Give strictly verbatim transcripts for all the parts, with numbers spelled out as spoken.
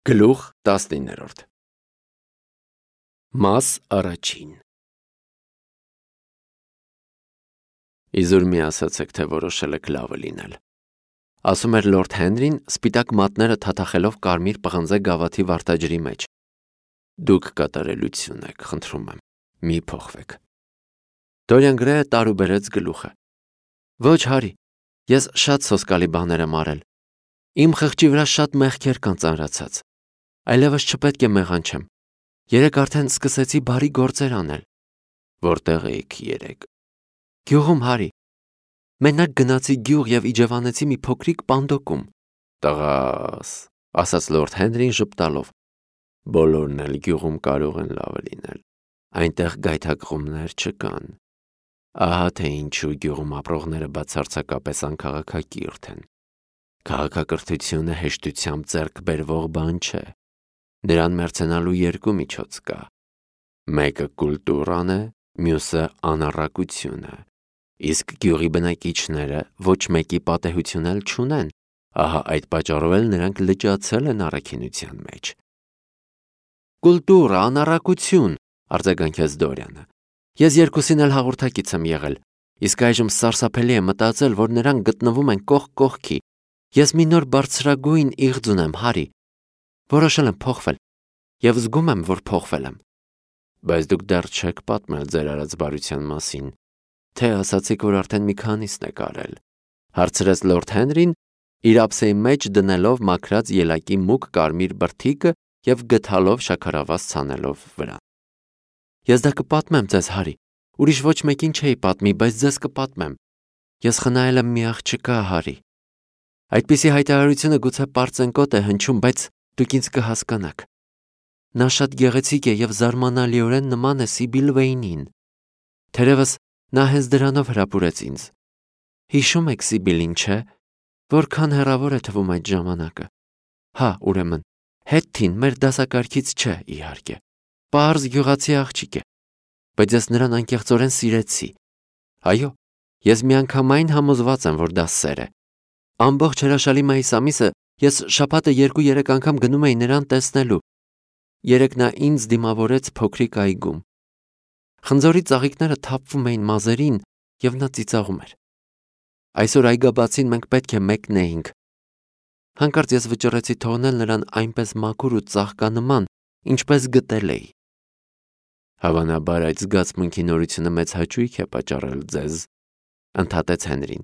Գլուխ տասնիններորդ Մաս առաջին Իզուր մի ասացեք, թե որոշել եք լավը լինել, ասում էր լորդ Հենրին, սպիտակ մատները թաթախելով կարմիր պղնձե գավաթի վարդաջրի մեջ. Դուք կատարելություն եք, խնդրում եմ, մի փոխվեք։ Դորիան Գրեյը տարուբերեց գլուխը. Ոչ, Հարի, ես շատ սոսկալի բաներ եմ արել, իմ խղճի վրա շատ մեղքեր կան ծանրացած, այլևս չպետք է մեղանչեմ, երեկ արդեն սկսեցի բարի գործեր անել։ Որտեղ էիք երեկ։ Գյուղում, Հարի, մենակ գնացի գյուղ և իջևանեցի մի փոքրիկ պանդոկում։ Տղաս, ասաց լորդ Հենրին ժպտալով, բոլորն էլ գյուղում կարող են լավը լինել, այնտեղ գայթակղումներ չկան։ Ահա թե ինչու գյուղում ապրողները բացարձակապես անքաղաքակիրթ են։ Քաղաքակրթությունը հեշտությամբ ձեռք բերվող բան չէ։ Նրան մերձենալու երկու միջոց կա։ Մեկը կուլտուրան է, մյուսը անառակությունը։ Իսկ գյուղի բնակիչները ոչ մեկի պատեհություն էլ չունեն, ահա այդ պատճառով էլ նրանք լճացել են առաքինության մեջ։ Կուլտուրա, անառակություն, արձագանքեց Դորիանը։ Ես երկուսին էլ հաղորդակից եմ եղել, իսկ այժմ սարսափելի է մտածել, որ նրանք գտնվում են կողք կողքի։ Ես մի նոր բարձրագույն իղձ ունեմ, Հարի։ Որոշել եմ փոխվել, և զգում եմ, որ փոխվել եմ։ Բայց դուք դեռ չեք պատմել ձեր արած բարության մասին, թե ասացիք, որ արդեն մի քանիսն եք արել, հարցրեց լորդ Հենրին, իր ափսեի մեջ դնելով մաքրած ելակի մուգ կարմիր բրդիկը և գթալով շաքարավազ ցանելով վրան։ Ես դա կպատմեմ ձեզ, Հարի, ուրիշ ոչ մեկին չէի պատմի, բայց ձեզ կպատմեմ։ Ես խնայել եմ մի աղջկա, Հարի։ Այդպիսի հայտարարությունը գուցե պարծենկոտ է հնչում, բայց դուք ինձ կհասկանաք։ Նա շատ գեղեցիկ է և զարմանալիորեն նման է Սիբիլ Վեյնին։ Թերևս նա հենց դրանով հրապուրեց ինձ։ Հիշում եք Սիբիլին, չէ՞, որքան հեռավոր է թվում այդ ժամանակը։ Հա, ուրեմն, Հետթին մեր դասակարգից չէ, իհարկե։ Պարզ գյուղացի աղջիկ է, բայց ես նրան անկեղծորեն սիրեցի։ Այո, ես միանգամայն համոզված եմ, որ դա սեր է։ Ամբողջ հրաշալի մայիս ամիսը ես շաբաթը երկու-երեք անգամ գնում էի նրան տեսնելու։ Երեկ նա ինձ դիմավորեց փոքրիկ այգում։ Խնձորի ծաղիկները թափվում էին մազերին, և նա ծիծաղում էր։ Այսօր այգաբացին մենք պետք է մեկնեինք։ Հանկարծ ես վճռեցի թողնել նրան այնպես մաքուր ու ծաղկանման, ինչպես գտել էի։ Հավանաբար այդ զգացմունքի նորությունը մեծ հաճույք է պատճառել ձեզ, ընդհատեց Հենրին։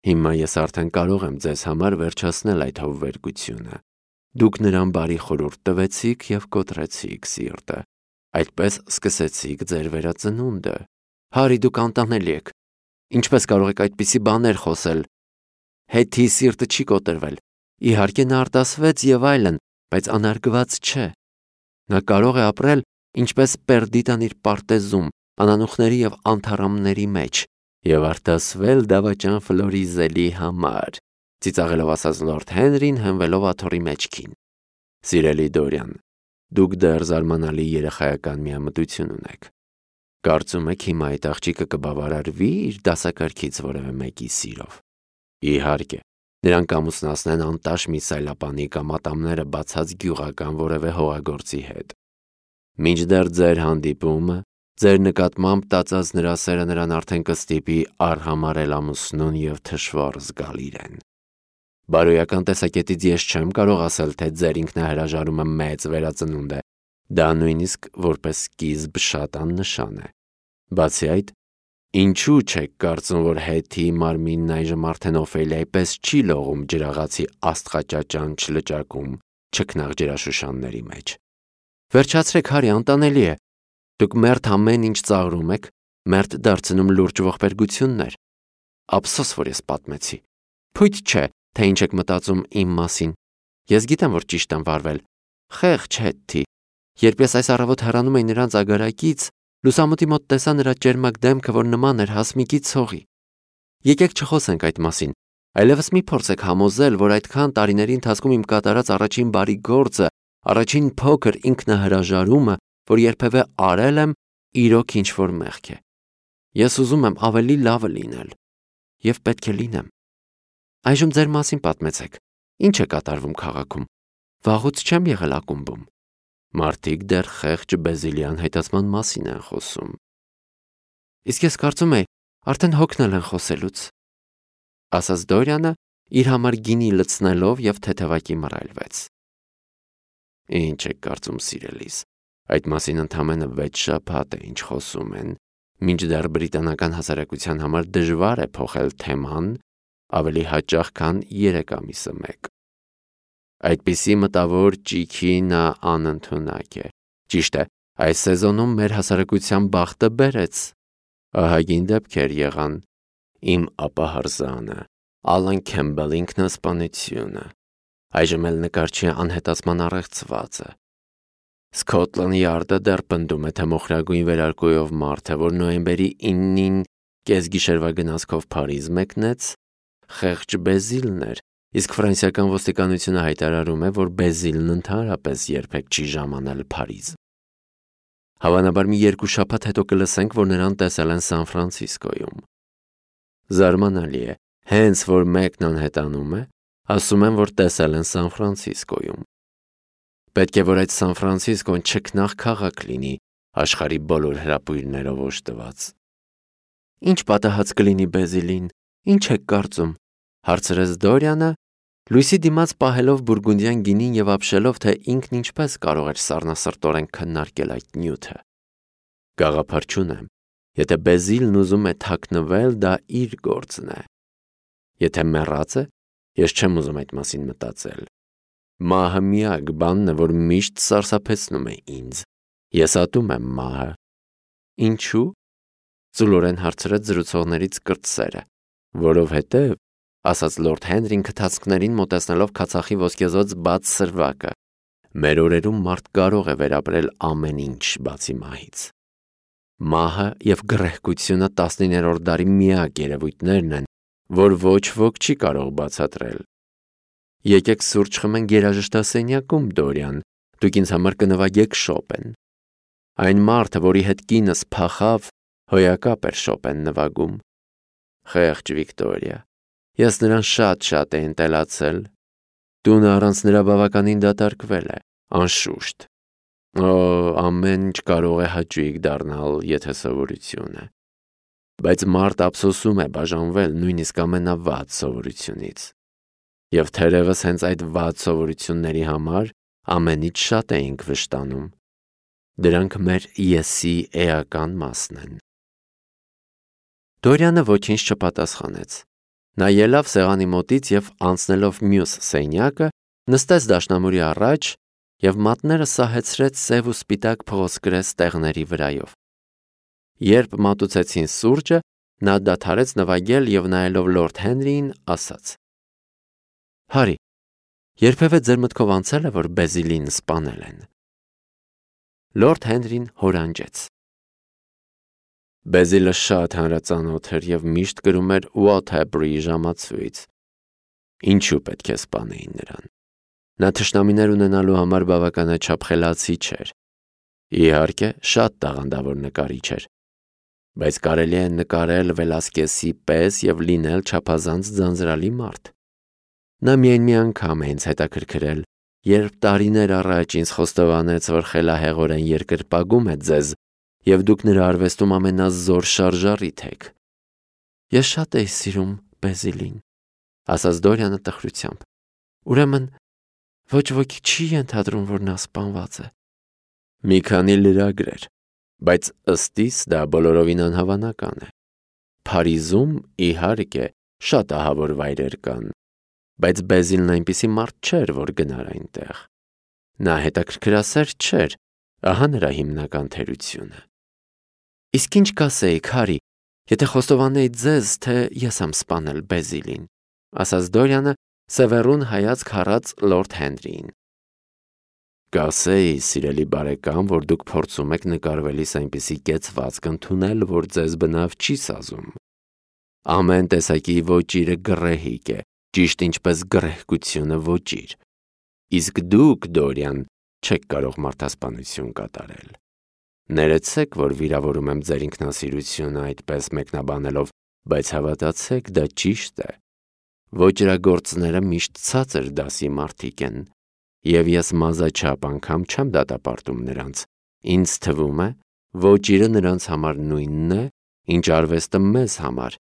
Հիմա ես արդեն կարող եմ ձեզ համար վերջացնել այդ հովվերգությունը։ Դուք նրան բարի խորհուրդ տվեցիք և կոտրեցիք սիրտը, այդպես սկսեցիք ձեր վերածնունդը։ Հարի, դուք անտանելի եք։ Ինչպես կարող եք այդպիսի բաներ խոսել։ Հետի սիրտը չի կոտրվել։ Իհարկե նա արտասվեց և այլն, բայց անարգված չէ։ Նա կարող է ապրել ինչպես Պերդիտան իր պարտեզում, անանուխների և անթառամների մեջ, և արտասվել դավաճան Ֆլորիզելի համար, ծիծաղելով ասաց լորդ Հենրին, հենվելով աթոռի մեջքին։ Սիրելի Դորիան, դուք դեռ զարմանալի երեխայական միամտություն ունեք։ Կարծում եք հիմա այդ աղջիկը կբավարարվի իր դասակարգից որևէ մեկի սիրով։ Իհարկե, նրան կամուսնացնեն անտաշ մի սայլապանի կամ ատամները բացած գյուղական որևէ հողագործի հետ։ Մինչդեռ ձեր հանդիպումը, ձեր նկատմամբ տածած նրա սերը նրան արդեն կստիպի արհամարհել ամուսնուն և թշվառ զգալ իրեն։ Բարոյական տեսակետից ես չեմ կարող ասել, թե ձեր ինքնահրաժարումը մեծ վերածնունդ է, դա նույնիսկ որպես սկիզբ շատ աննշան է։ Բացի այդ, ինչու չեք կարծում, որ Հետիի մարմինն այժմ արդեն Օֆելիայի պես չի լողում ջրաղացի աստղաճաճանչ լճակում չքնաղ ջրաշուշանների մեջ։ Վերջացրեք, Հարի, անտանելի է։ Դուք մերթ ամեն ինչ ծաղրում եք, մերթ դարձնում լուրջ ողբերգություններ։ Ափսոս, որ ես պատմեցի։ Փույթ չէ, թե ինչ եք մտածում իմ մասին։ Ես գիտեմ, որ ճիշտ եմ վարվել։ Խեղճ Հետի։ Երբ ես այս առավոտ հեռանում էի նրանց ագարակից, լուսամուտի մոտ տեսա նրա ճերմակ դեմքը, որ նման էր հասմիկի ցողի։ Եկեք չխոսենք այդ մասին, այլևս մի փորձեք համոզել, որ այդքան տարիների ընթացքում իմ կատարած առաջին բարի գործը, առաջին փոքր ինքնահրաժարումը, որ երբևէ արել եմ, իրոք ինչ-որ մեղք է։ Ես ուզում եմ ավելի լավը լինել, և պետք է լինեմ։ Այժմ ձեր մասին պատմեցեք։ Ինչ է կատարվում քաղաքում։ վաղուց չեմ եղել ակումբում։ Մարդիկ դեռ խեղճ Բեզիլյան հայտածման մասին են խոսում։ Իսկ ես կարծում եի, արդեն հոգնել են խոսելուց, ասաց Դորյանը, իր համար գինի լցնելով և թեթևակի մռայլվեց։ Ինչ եք կարծում, սիրելիս, այդ մասին ընդամենը վեց շաբաթ է, ինչ խոսում են, մինչդեռ բրիտանական հասարակության համար դժվար է փոխել թեման ավելի հաճախ, քան երեք ամիսը մեկ։ Այդպիսի մտավոր ճիքի նա անընդունակ է։ Ճիշտ է, այս սեզոնում մեր հասարակության բախտը բերեց։ Ահագին դեպքեր եղան։ Իմ ապահարզանը, Ալան Քեմբել ինքնասպանությունը, այժմ էլ նկարչի անհետացման առեղծվածը։ Սքոթլանդ Յարդը դեռ պնդում է, թե մոխրագույն վերարկուով մարդը, որ նոյեմբերի իննին կեսգիշերվա գնացքով Փարիզ մեկնեց, խեղճ Բեզիլն էր, իսկ ֆրանսիական ոստիկանությունը հայտարարում է, որ Բեզիլն ընդհանրապես երբեք չի ժամանել Փարիզ։ Հավանաբար մի երկու շաբաթ հետո կլսենք, որ նրան տեսել են Սան Ֆրանցիսկոյում։ Զարմանալի է, հենց որ մեկն անհետանում է, ասում են, որ տեսել են Սան Ֆրանցիսկոյում։ Պետք է, որ այդ Սան Ֆրանցիսկոն չքնաղ քաղաք լինի, աշխարհի բոլոր հրապույրներով օժտված։ Ինչ պատահած կլինի Բեզիլին, ինչ եք կարծում, հարցրեց Դորյանը, լույսի դիմաց պահելով բուրգունդյան գինին և ապշելով, թե ինքն ինչպես կարող էր սառնասրտորեն քննարկել այդ նյութը։ Գաղափար չունեմ, եթե Բեզիլն ուզում է թաքնվել, դա իր գործն է։ Եթե մեռած է, ես չեմ ուզում այդ մասին մտածել։ Մահը միակ բանն է, որ միշտ սարսափեցնում է ինձ։ Ես ատում եմ մահը։ Ինչու՞։ Ծուլորեն հարցրեց զրուցողներից կրտսերը։ Որովհետև, ասաց Լորդ Հենրին քթացքներին մոտեցնելով քացախի ոսկեզօծ բաց սրվակը, մեր օրերում մարդ կարող է վերապրել ամեն ինչ բացի մահից։ Մահը և գռեհկությունը տասնիններորդ դարի միակ երևույթներն են, որ ոչ ոք չի կարող բացատրել։ Եկեք սուրճ խմենք երաժշտասենյակում, Դորյան, դուք ինձ համար կնվագեք Շոպեն։ Այն մարդը, որի հետ կինս փախավ, հոյակապ էր Շոպեն նվագում։ Խեղճ Վիկտորիա, ես նրան շատ-շատ էի ընտելացել։ Տունը առանց նրա բավականին դատարկվել է, անշուշտ։ Օ, ամեն ինչ կարող է հաճույք դառնալ, եթե սովորություն է։ Բայց մարդ ափսոսում է բաժանվել նույնիսկ ամենավատ սովորությունից։ Եվ թերևս հենց այդ վատ սովորությունների համար ամենից շատ էինք վշտանում։ Դրանք մեր եսի էական մասն են։ Դորյանը ոչինչ չպատասխանեց։ Նա ելավ սեղանի մոտից և անցնելով մյուս սենյակը, նստեց դաշնամուրի առաջ և մատները սահեցրեց սև ու սպիտակ փղոսկրես տեղների վրայով։ Երբ մատուցեցին սուրճը, նա դադարեց նվագել և նայելով Լորդ Հենրիին, ասաց. Հարի, երբևէ ձեր մտքով անցել է, որ Բեզիլին սպանել են։ Լորդ Հենրին հորանջեց։ Բեզիլը շատ հանրածանոթ էր և միշտ կրում էր Waterbury ժամացույց։ Ինչու պետք է սպանեին նրան։ Նա թշնամիներ ունենալու համար բավականաչափ խելացի չէր։ Իհարկե, շատ տաղանդավոր նկարիչ էր, բայց կարելի է նկարել Վելասկեսի պես և լինել չափազանց ձանձրալի մարդ։ Նա միայն մի անգամ է ինձ հետաքրքրել, երբ տարիներ առաջ ինձ խոստովանեց, որ խելահեղորեն երկրպագում է ձեզ և դուք նրա արվեստում ամենազոր շարժառիթ եք։ Ես շատ էի սիրում Բեզիլին, ասաց Դորյանը տխրությամբ։ Ուրեմն ոչ ոքի չի ենթադրում, որ նա սպանված է։ Մի քանի լրագրեր, բայց ըստիս դա բոլորովին անհավանական է։ Փարիզում, իհարկե, շատ ահավոր վայրեր կան, բայց Բեզիլն այնպիսի մարդ չէր, որ գնար այնտեղ։ Նա հետաքրքրասեր չէր, ահա նրա հիմնական թերությունը։ Իսկ ինչ կասեիք, Հարի, եթե խոստովանեի ձեզ, թե ես եմ սպանել Բեզիլին, ասաց Դորյանը, սևեռուն հայացք հառած Լորդ Հենրիին։ Կասեի, սիրելի բարեկամ, որ դուք փորձում եք նկարվելիս այնպիսի կեցվածք ընդունել, որ ձեզ բնավ չի սազում։ Ամեն տեսակի ոճիրը գռեհիկ է, ճիշտ ինչպես գռեհկությունը ոճիր։ Իսկ դուք, Դորյան, չեք կարող մարդասպանություն կատարել։ Ներեցեք, որ վիրավորում եմ ձեր ինքնասիրությունը այդպես մեկնաբանելով, բայց հավատացեք, դա ճիշտ է։ Ոճրագործները միշտ ցածր դասի մարդիկ են, Եվ ես մազաչափ անգամ չեմ դատապարտում նրանց, ինձ թվում է, ոճիրը նրանց համար նույնն է, ինչ արվեստը մեզ համար,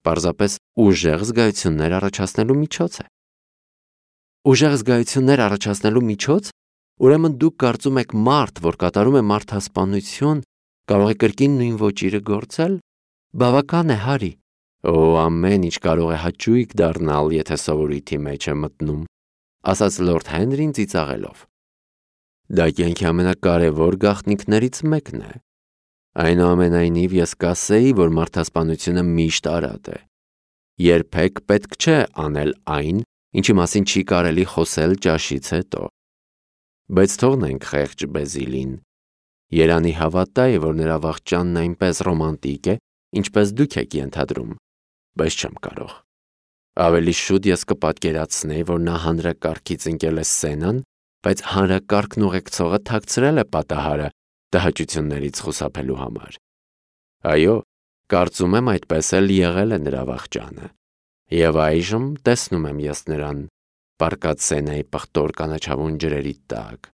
պարզապես ուժեղ զգայություններ առաջացնելու միջոց է։ Ուժեղ զգայություններ առաջացնելու միջոց, ուրեմն դուք կարծում եք մարդ, որ կատարում է մարդասպանություն, կարող է կրկին նույն ոճիրը գործել, բավական է, Հարի։ Օ, ամեն ինչ կարող է հաճույք դառնալ, եթե սովորույթի մեջ է մտնում, ասաց լորդ Հենրին ծիծաղելով։ Դա կյանքի ամենակարևոր գաղտնիքներից մեկն է։ Այնուամենայնիվ ես կասեի, որ մարդասպանությունը միշտ արատ է։ Երբեք պետք չէ անել այն, ինչի մասին չի կարելի խոսել ճաշից հետո։ Բայց թողնենք խեղճ Բեզիլին։ Երանի հավատա է, որ նրա վախճանն այնպես ռոմանտիկ է, ինչպես դուք եք ենթադրում, բայց չեմ կարող։ Ավելի շուտ ես կպատկերացնեի, որ նա հանրակարգից ընկել է սցենան, բայց հանրակարգն ուղեկցողը թաքցրել է պատահարը տհաճություններից խուսափելու համար։ Այո, կարծում եմ այդպես էլ եղել է նրա վախճանը։ Եվ այժմ տեսնում եմ ես նրան, պառկած Սենայի պղտոր կանաչավուն ջրերի տակ,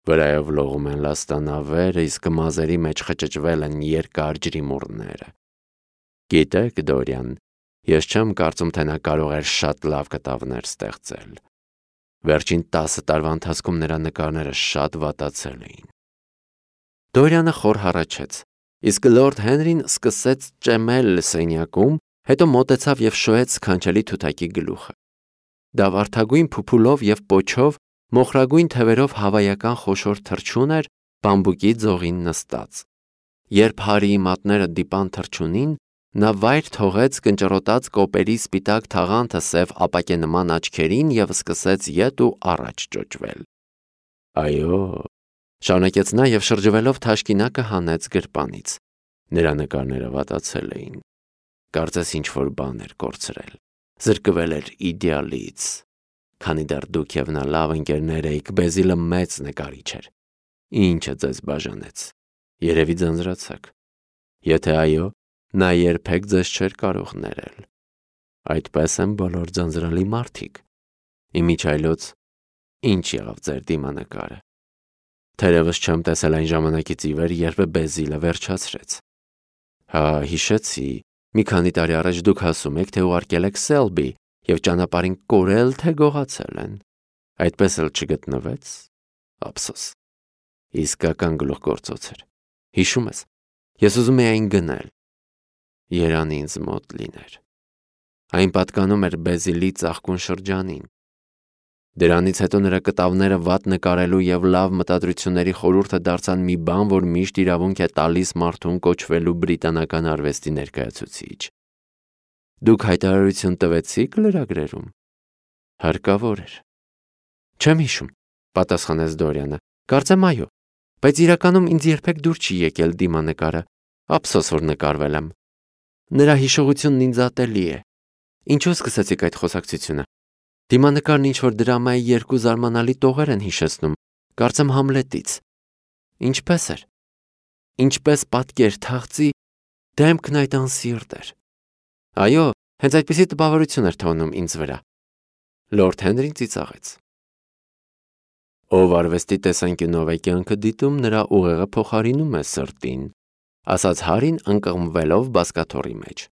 վրայով լողում են լաստանավերը, իսկ մազերի մեջ խճճվել են երկար ջրիմուռները։ Գիտեք, Դորիան, ես չեմ կարծում, թե նա կարող էր շատ լավ կտավներ ստեղծել։ Վերջին տասը տարվա ընթացքում նրա նկարները շատ վատացել էին։ Դորիանը խոր հառաչեց, իսկ լորդ Հենրին սկսեց ճեմել սենյակում, հետո մոտեցավ և շոյեց սքանչելի թութակի գլուխը։ Դա վարդագույն փուփուլով և պոչով, մոխրագույն թևերով հավայական խոշոր թռչուն էր բամբուկի ձողին նստած։ Երբ Հարիի մատները դիպան թռչունին, նա վայր թողեց կնճռոտած կոպերի սպիտակ թաղանթը սև ապակենման աչքերին և սկսեց ետ ու առաջ ճոճվել։ Այո, շարունակեց նա և շրջվելով թաշկինակը հանեց գրպանից։ Նրա նկարները վատացել էին։ Կարծես ինչ-որ բան էր կորցրել, զրկվել էր իդեալից։ Քանի դեռ դուք և նա լավ ընկերներ էիք, Բեզիլը մեծ նկարիչ էր։ Ինչը ձեզ բաժանեց։ Երևի ձանձրացաք։ Եթե այո, նա երբեք ձեզ չէր կարող ներել։ Այդպես են բոլոր ձանձրալի մարդիկ։ Իմիջիայլոց, ինչ եղավ ձեր դիմանկարը։ Թերևս չեմ տեսել այն ժամանակից ի վեր, երբ Բեզիլը վերջացրեց։ Հա, հիշեցի, մի քանի տարի առաջ դուք ասում եք, թե ուղարկել եք Սելբի և ճանապարհին կորել, թե գողացել են։ Այդպես էլ չգտնվեց։ Ափսոս։ Իսկական գլուխգործոց էր։ Հիշում ես, ես ուզում էի այն գնել։ Երան ինձ մոտ լիներ։ Այն պատկանում էր Բեզիլի ծաղկուն շրջանին։ Դրանից հետո նրա կտավները վատ նկարելու և լավ մտադրությունների խորհուրդը դարձան մի բան, որ միշտ իրավունք է տալիս մարդուն կոչվելու բրիտանական արվեստի ներկայացուցիչ։ Դուք հայտարարություն տվեցիք լրագրերում։ Հարկավոր էր։ Չեմ հիշում, պատասխանեց Դորիանը։ Կարծեմ այո, բայց իրականում ինձ երբեք դուր չի եկել դիմանկարը։ Ափսոս, որ նկարվել եմ։ Նրա հիշողությունն ինձ ատելի է։ Ինչու սկսեցիք այդ խոսակցությունը։ Դիմանկարն ինչ-որ դրամայի երկու զարմանալի տողեր են հիշեցնում, կարծեմ Համլետից։ Ինչպես էր։ Ինչպես պատկեր թաղծի, դեմքն այդ անսիրտ էր։ Այո, հենց այդպիսի տպավորություն էր թողնում ինձ վրա։ Լորդ Հենրին ծիծաղեց։ Ով արվեստի տեսանկյունով է կյանքը դիտում, նրա ուղեղը փոխարինում է սրտին, ասաց Հարին ընկղմվելով բազկաթոռի մեջ։